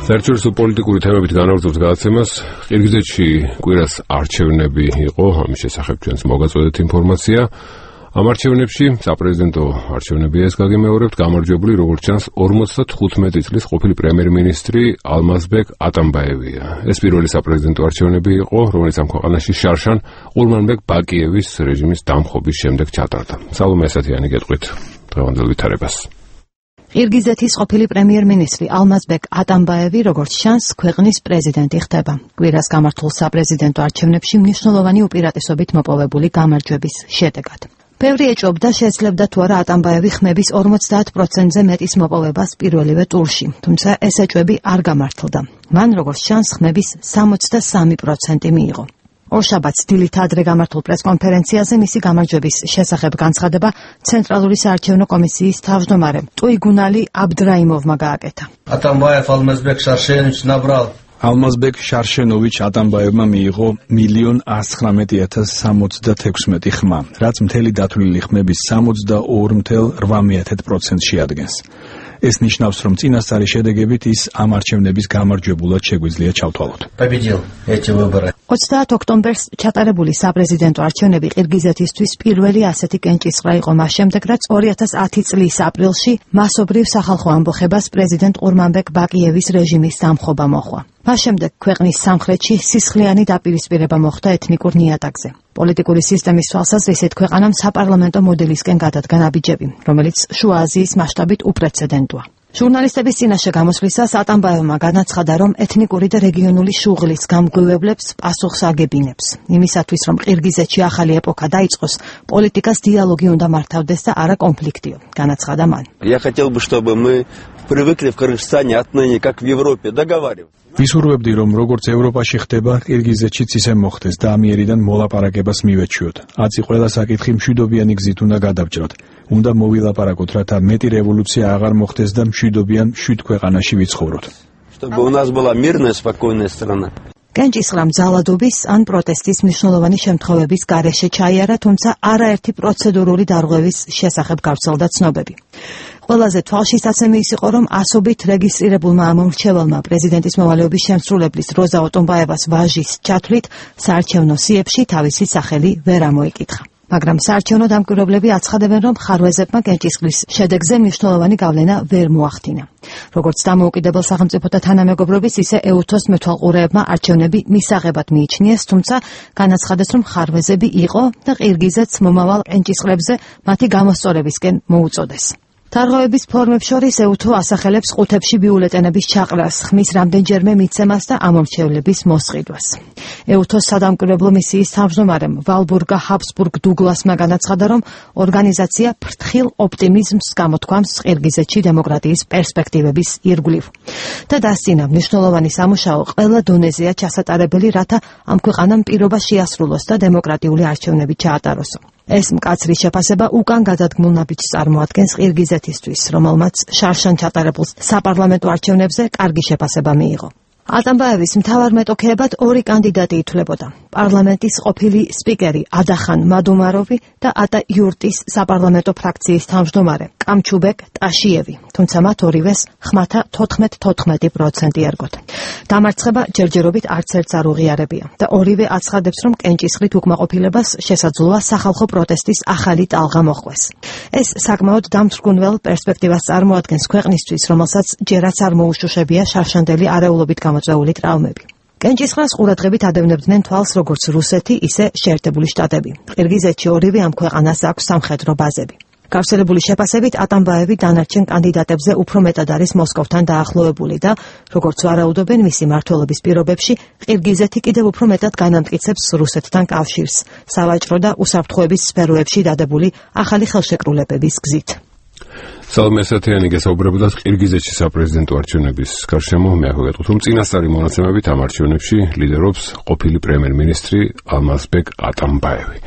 საერთაშორისო პოლიტიკური თემებით განაგრძობს გადაცემას. ყირგიზეთში კვირას არჩევნები იყო, ამის შესახებ ჩვენს მოგაწოდეთ ინფორმაცია. ამ არჩევნებში საპრეზიდენტო არჩევნებია ეს გაგემეორებთ, გამარჯვებული როგორც ჩანს 55 წლის ყოფილი პრემიერ-მინისტრი ალმაზბეკ ატამბაევია. ეს პირველი საპრეზიდენტო არჩევნები იყო, რომელიც ამ ქვეყანაში შარშან ყურმანბეკ ბაკიევის რეჟიმის დამხობის შემდეგ ჩატარდა. სალომე ასათიანი გეტყვით დღევანდელ ვითარებას. ყირგიზეთის ყოფილი პრემიერ-მინისტრი ალმაზბეკ ატამბაევი, როგორც ჩანს, ქვეყნის პრეზიდენტი ხდება. კვირას გამართულ საპრეზიდენტო არჩევნებში მნიშვნელოვანი უპირატესობით მოპოვებული გამარჯვების შედეგად. ბევრი ეჭვობდა, შეძლებდა თუ არა ატამბაევი ხმების 50%-ზე მეტის მოპოვებას პირველივე ტურში, თუმცა ეს ეჭვები არ გამართლდა. მან, როგორც ჩანს, ხმების 63% მიიღო. ორშაბათს დილით ადრე გამართულ პრესკონფერენციაზე მისი გამარჯვების შესახებ განცხადება ცენტრალური საარჩევნო კომისიის თავმჯდომარემ ტუიგუნალი აბდრაიმოვმა გააკეთა. Atambayev Almazbek Sharshenovich nabral ალმაზბეკ შარშენოვიჩ ატამბაევმა მიიღო 1,119,076 ხმა, რაც მთელი დათვლილი ხმების 62,8% შეადგენს. ეს ნიშნავს, რომ წინასწარი შედეგებით ის ამ არჩევნების გამარჯვებულად შეგვიძლია ჩავთვალოთ. 30 ოქტომბერს ჩატარებული საპრეზიდენტო არჩევნები ყირგიზეთისთვის პირველი ასეთი კენჭისყრა იყო მას შემდეგ, რაც 2010 წლის აპრილში მასობრივ სახალხო ამბოხებას პრეზიდენტ ყურმანბეკ ბაკიევის რეჟიმის დამხობა მოჰყვა. მას შემდეგ ქვეყნის სამხრეთში სისხლიანი დაპირისპირება მოხდა ეთნიკურ ნიადაგზე. პოლიტიკური სისტემის თვალსაზრისით ქვეყანამ საპარლამენტო მოდელისკენ გადადგა ნაბიჯები, რომელიც შუა აზიის მასშტაბით უპრეცედენტოა. ჟურნალისტების წინაშე გამოსვლისას ატამბაევმა განაცხადა, რომ ეთნიკური და რეგიონული შუღლის გამგვევებლებს პასუხს აგებინებს. იმისათვის, რომ ყირგიზეთში ახალი ეპოქა დაიწყოს, პოლიტიკას დიალოგი უნდა მართავდეს და არა კონფლიქტიო, განაცხადა მან. Я хотел бы, чтобы мы привыкли в Кыргызстане отныне, как в Европе, договариваться. ვისურვებდი, რომ როგორც ევროპაში ხდება, ყირგიზეთშიც ისე მოხდეს და ამიერიდან მოლაპარაკებას მივეჩვიოთ. აცი ყველა საკითხი მშვიდობიანი გზით უნდა გადავჭრათ. უნდა მოვილაპარაკოთ, რათა მეტი რევოლუცია აღარ მოხდეს და მშვიდობიან მშვიდ ქვეყანაში ვიცხოვროთ. Чтобы у нас была мирная, спокойная страна. კენჭისყრამ ძალადობის ან პროტესტის მნიშვნელოვანი შემთხვევების გარეშე ჩაიარა, თუმცა არაერთი პროცედურული დარღვევის შესახებ გავრცელდა ცნობები. ყველაზე თვალშისაცემი ის იყო, რომ ასობით რეგისტრირებულმა ამომრჩეველმა პრეზიდენტის მოვალეობის შემსრულებლის როზა ოტომბაევას ვაჟის ჩათვლით საარჩევნო სიებში თავისი სახელი ვერ ამოიკითხა. მაგრამ საარჩევნო დამკვირვებლები აცხადებენ, რომ ხარვეზებმა კენჭისყრის შედეგზე მნიშვნელოვანი გავლენა ვერ მოახდინა. როგორც დამოუკიდებელ სახელმწიფოთა თანამეგობრობის, ისე EUTHO-ს მეთვალყურეებმა არჩევნები მისაღებად მიიჩნიეს, თუმცა განაცხადეს, რომ ხარვეზები იყო და ყირგიზეთს მომავალ კენჭისყრებზე მათი გამოსწორებისკენ მოუწოდეს. დარღვევების ფორმებს შორის EUTHO ასახელებს ყუთებში ბიულეტენების ჩაყრას, ხმის რამდენჯერმე მიცემას და ამომრჩევლების მოსყიდვას. EUTHO-ს სადამკვირვებლო მისიის თავმჯდომარემ ვალბურგა ჰაბსბურგ დუგლასმა განაცხადა, რომ ორგანიზაცია ფრთხილ ოპტიმიზმს გამოთქვამს ყირგიზეთში დემოკრატიის პერსპექტივების ირგვლივ და დასცინა მნიშვნელოვანი სამუშაო ყველა დონეზეა ჩასატარებელი, რათა ამ ქვეყანამ პირობა შეასრულოს და დემოკრატიული არჩევნები ჩაატაროს. ეს მკაცრი შეფასება უკან გადადგმულ ნაბიჯს წარმოადგენს ყირგიზეთისთვის, რომელმაც შარშან ჩატარებულ საპარლამენტო არჩევნებზე კარგი შეფასება მიიღო. ატამბაევის მთავარ მეტოქეებად ორი კანდიდატი ითვლებოდა. პარლამენტის ყოფილი სპიკერი ადახან მადუმაროვი და ატა იურტის საპარლამენტო ფრაქციის თავმჯდომარე კამჩუბეკ ტაშიევი, თუმცა მათ ორივეს ხმათა 14% ერგოთ. დამარცხება ჯერჯერობით არც ერთს არ უღიარებია და ორივე აცხადებს, რომ კენჭისყრით უკმაყოფილებას შესაძლოა სახალხო პროტესტის ახალი ტალღა მოჰყვეს. ეს საკმაოდ დამთრგუნველ პერსპექტივას წარმოადგენს ქვეყნისთვის, რომელსაც ჯერაც არ მოუშუშებია შარშანდელი არეულობით გამოწვეული ტრავმები. კენჭისყრას ყურადღებით ადევნებდნენ თვალს როგორც რუსეთი, ისე შეერთებული შტატები. ყირგიზეთში ორივე ამ ქვეყანას აქვს სამხედრო ბაზები. გავრცელებული შეფასებით ატამბაევი დანარჩენ კანდიდატებზე უფრო მეტად არის მოსკოვთან დაახლოებული და, როგორც ვარაუდობენ, მისი მმართველობის პირობებში ყირგიზეთი კიდევ უფრო მეტად განამტკიცებს რუსეთთან კავშირს, სავაჭრო და უსაფრთხოების სფეროებში დადებული ახალი ხელშეკრულებების გზით. სალომე ასათიანი გესაუბრებოდა ყირგიზეთში საპრეზიდენტო არჩევნების გარშემო. მე ახლა გეტყვით, რომ წინასწარი მონაცემებით ამ არჩევნებში ლიდერობს ყოფილი პრემიერ-მინისტრი ალმაზბეკ ატამბაევი.